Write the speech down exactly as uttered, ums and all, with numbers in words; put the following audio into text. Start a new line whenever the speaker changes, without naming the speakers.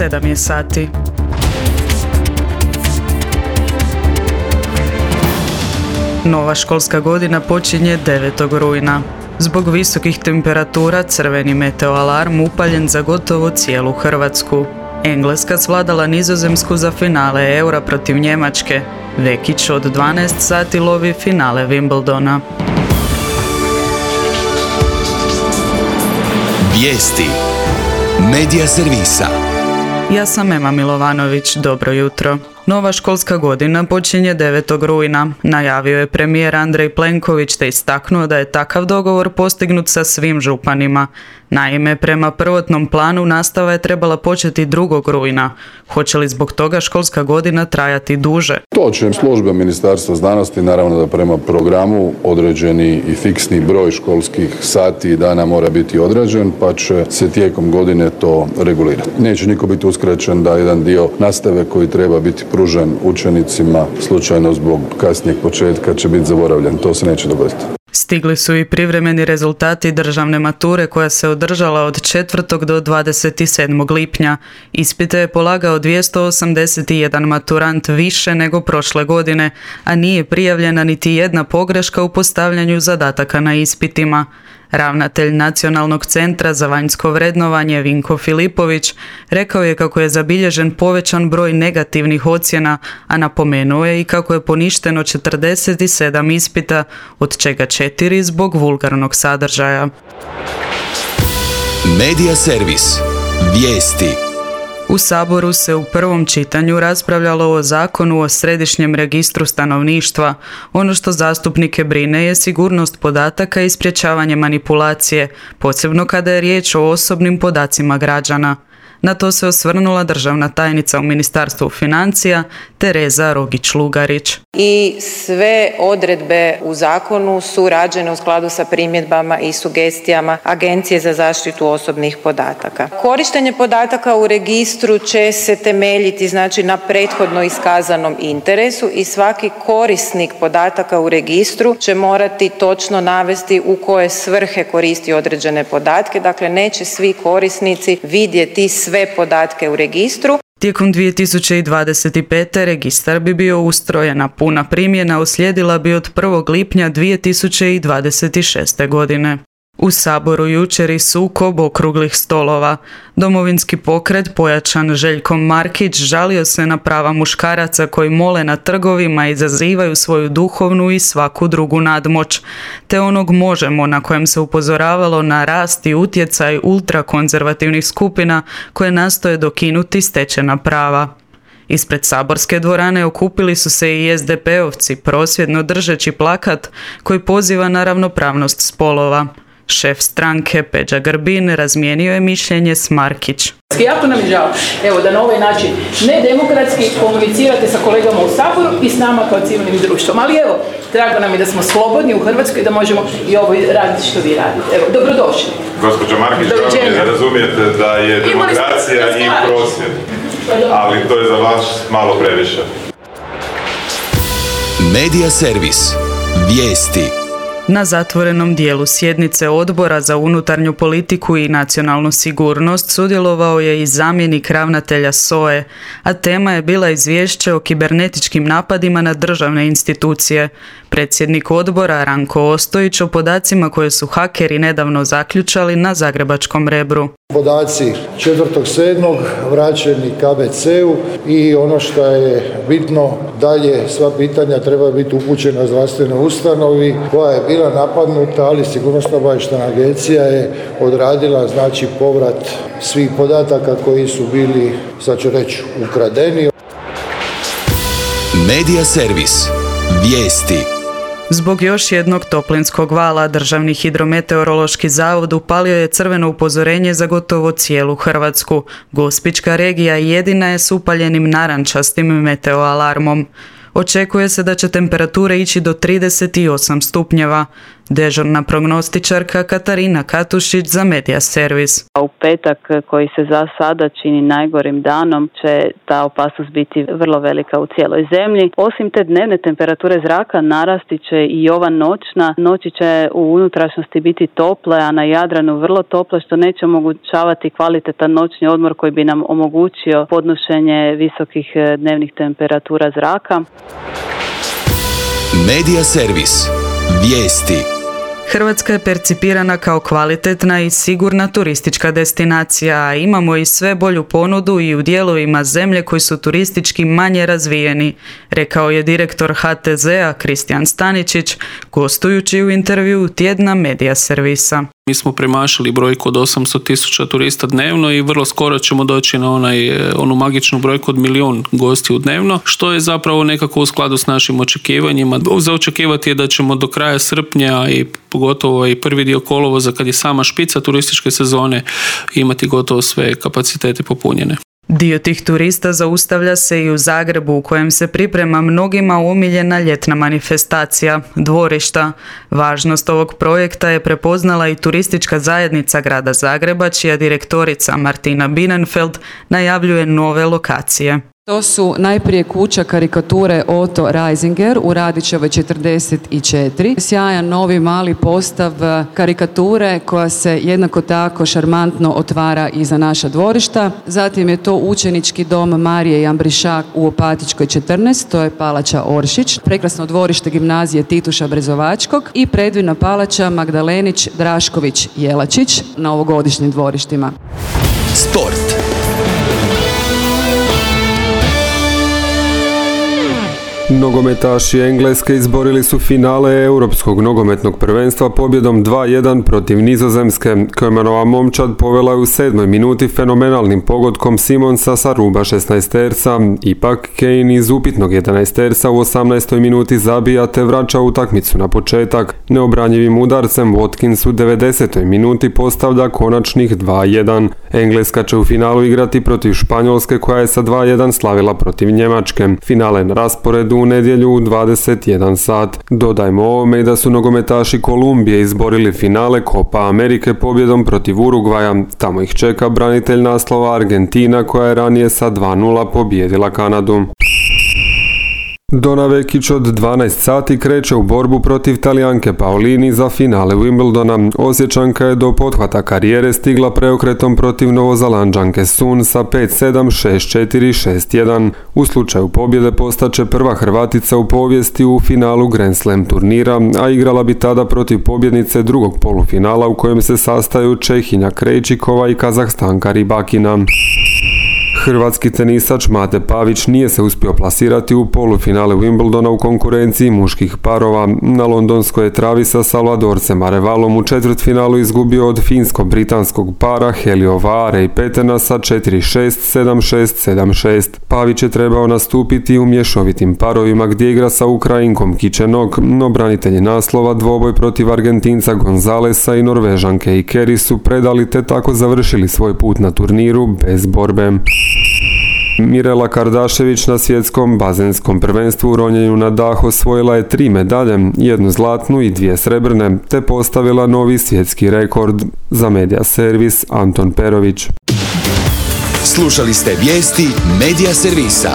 sedam je sati. Nova školska godina počinje devetog rujna. Zbog visokih temperatura crveni meteoalarm upaljen za gotovo cijelu Hrvatsku. Engleska svladala Nizozemsku za finale Eura protiv Njemačke. Vekić od dvanaest sati lovi finale Wimbledona.
Vijesti Medija servisa.
Ja sam Ema Milovanović, dobro jutro. Nova školska godina počinje devetog rujna. Najavio je premijer Andrej Plenković te istaknuo da je takav dogovor postignut sa svim županima. Naime, prema prvotnom planu nastava je trebala početi drugog rujna. Hoće li zbog toga školska godina trajati duže?
To će službe Ministarstva znanosti, naravno da prema programu određeni i fiksni broj školskih sati i dana mora biti određen, pa će se tijekom godine to regulirati. Neće niko biti uskraćen da jedan dio nastave koji treba biti pružen učenicima slučajno zbog kasnijeg početka će biti zaboravljen. To se neće dogoditi.
Stigli su i privremeni rezultati državne mature koja se održala od četvrtog do dvadeset sedmog lipnja. Ispite je polagao dvjesto osamdeset jedan maturant više nego prošle godine, a nije prijavljena niti jedna pogreška u postavljanju zadataka na ispitima. Ravnatelj Nacionalnog centra za vanjsko vrednovanje Vinko Filipović rekao je kako je zabilježen povećan broj negativnih ocjena, a napomenuo je i kako je poništeno četrdeset sedam ispita, od čega četiri zbog vulgarnog sadržaja.
Medija servis. Vijesti.
U Saboru se u prvom čitanju raspravljalo o zakonu o središnjem registru stanovništva. Ono što zastupnike brine je sigurnost podataka i sprječavanje manipulacije, posebno kada je riječ o osobnim podacima građana. Na to se osvrnula državna tajnica u Ministarstvu financija Tereza Rogić-Lugarić.
I sve odredbe u zakonu su rađene u skladu sa primjedbama i sugestijama Agencije za zaštitu osobnih podataka. Korištenje podataka u registru će se temeljiti znači na prethodno iskazanom interesu i svaki korisnik podataka u registru će morati točno navesti u koje svrhe koristi određene podatke. Dakle, neće svi korisnici vidjeti sve podatke u registru.
Tijekom dvije tisuće dvadeset pete. registar bi bio ustrojen, a puna primjena uslijedila bi od prvog lipnja dvije tisuće dvadeset šeste. godine. U Saboru jučer i sukob okruglih stolova. Domovinski pokret pojačan Željkom Markić žalio se na prava muškaraca koji mole na trgovima i izazivaju svoju duhovnu i svaku drugu nadmoć, te onog Možemo na kojem se upozoravalo na rast i utjecaj ultrakonzervativnih skupina koje nastoje dokinuti stečena prava. Ispred saborske dvorane okupili su se i es de pe-ovci prosvjedno držeći plakat koji poziva na ravnopravnost spolova. Šef stranke Peđa Grbin razmijenio je mišljenje s Markić.
Jako nam je žao, evo, da na ovaj način nedemokratski komunicirate sa kolegama u Saboru i s nama kao civilnim društvom. Ali evo, drago nam je da smo slobodni u Hrvatskoj i da možemo i ovo raditi što vi radite. Evo, dobrodošli.
Gospođo Markić, drago mi je da razumijete da je demokracija i prosvjed, ali to je za vas malo previše.
Medija servis. Vijesti.
Na zatvorenom dijelu sjednice Odbora za unutarnju politiku i nacionalnu sigurnost sudjelovao je i zamjenik ravnatelja es o e, a tema je bila izvješće o kibernetičkim napadima na državne institucije. Predsjednik odbora Ranko Ostojić o podacima koje su hakeri nedavno zaključali na zagrebačkom Rebru.
Podaci četvrtog sedmog vraćeni ka be ce-u i ono što je bitno dalje, sva pitanja treba biti upućena zdravstvenoj ustanovi koja je bila napadnuta, ali Sigurnosno-obavještajna agencija je odradila znači povrat svih podataka koji su bili, sad ću reći, ukradeni.
Medija servis. Vijesti.
Zbog još jednog toplinskog vala Državni hidrometeorološki zavod upalio je crveno upozorenje za gotovo cijelu Hrvatsku. Gospićka regija jedina je s upaljenim narančastim meteoalarmom. Očekuje se da će temperature ići do trideset osam stupnjeva. Dežurna prognostičarka Katarina Katušić za Media Servis.
U petak, koji se za sada čini najgorim danom, će ta opasnost biti vrlo velika u cijeloj zemlji. Osim te dnevne temperature zraka, narasti će i ova noćna. Noći će u unutrašnjosti biti tople, a na Jadranu vrlo tople, što neće omogućavati kvalitetan noćni odmor koji bi nam omogućio podnošenje visokih dnevnih temperatura zraka.
Media Servis. Vijesti.
Hrvatska je percipirana kao kvalitetna i sigurna turistička destinacija, a imamo i sve bolju ponudu i u dijelovima zemlje koji su turistički manje razvijeni, rekao je direktor H T Z-a Kristijan Staničić, gostujući u intervjuu tjedna Media Servisa.
Mi smo premašili brojku od osamsto tisuća turista dnevno i vrlo skoro ćemo doći na onaj, onu magičnu brojku od milijun gostiju dnevno, što je zapravo nekako u skladu s našim očekivanjima. Za očekivati je da ćemo do kraja srpnja i pogotovo i prvi dio kolovoza, kad je sama špica turističke sezone, imati gotovo sve kapacitete popunjene.
Dio tih turista zaustavlja se i u Zagrebu, u kojem se priprema mnogima omiljena ljetna manifestacija, dvorišta. Važnost ovog projekta je prepoznala i turistička zajednica grada Zagreba, čija direktorica Martina Binenfeld najavljuje nove lokacije.
To su najprije kuća karikature Otto Reisinger u Radićevoj četrdeset četiri. Sjajan novi mali postav karikature koja se jednako tako šarmantno otvara i za naša dvorišta. Zatim je to učenički dom Marije Jambrišak u Opatičkoj četrnaest, to je palača Oršić. Prekrasno dvorište gimnazije Tituša Brezovačkog i predivna palača Magdalenić Drašković Jelačić na ovogodišnjim dvorištima.
Sport.
Nogometaši Engleske izborili su finale Europskog nogometnog prvenstva pobjedom dva jedan protiv Nizozemske. Koemanova momčad povela je u sedmoj minuti fenomenalnim pogodkom Simonsa sa ruba šesnaesterca. Ipak Kane iz upitnog jedanaesterca u osamnaestoj minuti zabija te vraća utakmicu na početak. Neobranjivim udarcem Watkins u devedesetoj minuti postavlja konačnih dva jedan. Engleska će u finalu igrati protiv Španjolske, koja je sa dva jedan slavila protiv Njemačke. Finale na rasporedu u nedjelju u dvadeset jedan sat. Dodajmo ovome i da su nogometaši Kolumbije izborili finale Copa Amerike pobjedom protiv Urugvaja. Tamo ih čeka branitelj naslova Argentina, koja je ranije sa dva nula pobijedila Kanadu. Dona Vekić od dvanaest sati kreće u borbu protiv Talijanke Paolini za finale Wimbledona. Osječanka je do pothvata karijere stigla preokretom protiv Novozalanđanke Sun sa pet sedam, šest četiri, šest jedan. U slučaju pobjede postaće prva Hrvatica u povijesti u finalu Grand Slam turnira, a igrala bi tada protiv pobjednice drugog polufinala u kojem se sastaju Čehinja Krejčikova i Kazahstanka Ribakina. Hrvatski tenisač Mate Pavić nije se uspio plasirati u polufinale Wimbledona u konkurenciji muških parova. Na londonskoj je travi sa Salvadorcem Arevalom u četvrtfinalu izgubio od finsko-britanskog para Helio Vare i Petena sa četiri šest, sedam šest, sedam šest. Pavić je trebao nastupiti u mješovitim parovima gdje igra sa Ukrajinkom Kičenog, no branitelji naslova dvoboj protiv Argentinca Gonzalesa i Norvežanke Ikeri su predali te tako završili svoj put na turniru bez borbe. Mirela Kardašević na svjetskom bazenskom prvenstvu u ronjenju na dah osvojila je tri medalje, jednu zlatnu i dvije srebrne, te postavila novi svjetski rekord. Za Media Servis Anton Perović.
Slušali ste vijesti Media Servisa.